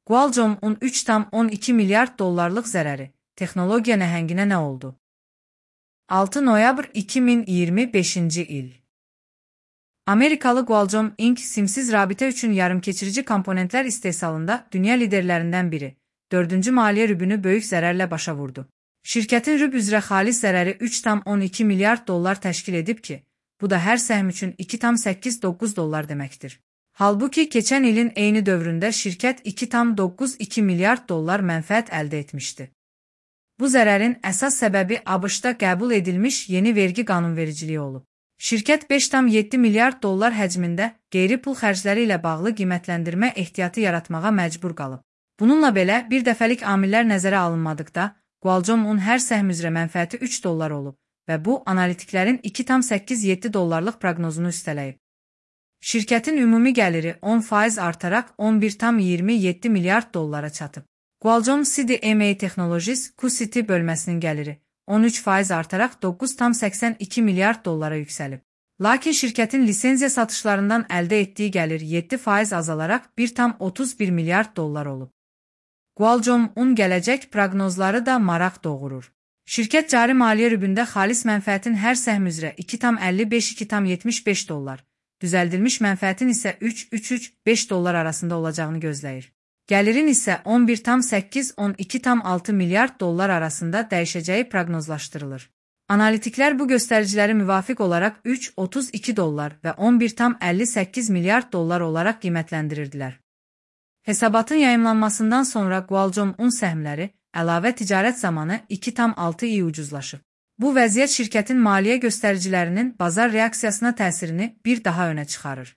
Qualcomm-un 3,12 milyard dollarlıq zərəri, texnologiya nəhənginə nə oldu? 6 noyabr 2025-ci il. Amerikalı Qualcomm Inc. simsiz rabitə üçün yarımkeçirici komponentlər istehsalında dünya liderlərindən biri, 4-cü maliyyə rübünü böyük zərərlə başa vurdu. Şirkətin rüb üzrə xalis zərəri 3,12 milyard dollar təşkil edib ki, bu da hər səhm üçün 2,89 dollar deməkdir. Halbuki keçən ilin eyni dövründə şirkət 2,92 milyard dollar mənfəət əldə etmişdi. Bu zərərin əsas səbəbi ABŞ-da qəbul edilmiş yeni vergi qanunvericiliyi olub. Şirkət 5,7 milyard dollar həcmində qeyri-pul xərcləri ilə bağlı qiymətləndirmə ehtiyatı yaratmağa məcbur qalıb. Bununla belə, bir dəfəlik amillər nəzərə alınmadıqda, Qualcomm-un hər səhm üzrə mənfəəti 3 dollar olub və bu, analitiklərin 2,87 dollarlıq proqnozunu üstələyib. Şirkətin ümumi gəliri 10% artaraq 11,27 milyard dollara çatıb. Qualcomm CDMA Technologies QCT bölməsinin gəliri 13% artaraq 9,82 milyard dollara yüksəlib. Lakin şirkətin lisenziya satışlarından əldə etdiyi gəlir 7% azalaraq 1,31 milyard dollar olub. Qualcomm-un gələcək proqnozları da maraq doğurur. Şirkət cari maliyyə rübündə xalis mənfəətin hər səhm üzrə 2,55-2,75 dollar, düzəldilmiş mənfəətin isə 3,5 dollar arasında olacağını gözləyir. Gəlirin isə 11,8-12,6 milyard dollar arasında dəyişəcəyi proqnozlaşdırılır. Analitiklər bu göstəriciləri müvafiq olaraq 3,32 dollar və 11,58 milyard dollar olaraq qiymətləndirirdilər. Hesabatın yayımlanmasından sonra Qualcomm-un səhmləri əlavə ticarət zamanı 2,6 ucuzlaşıb. Bu vəziyyət şirkətin maliyyə göstəricilərinin bazar reaksiyasına təsirini bir daha önə çıxarır.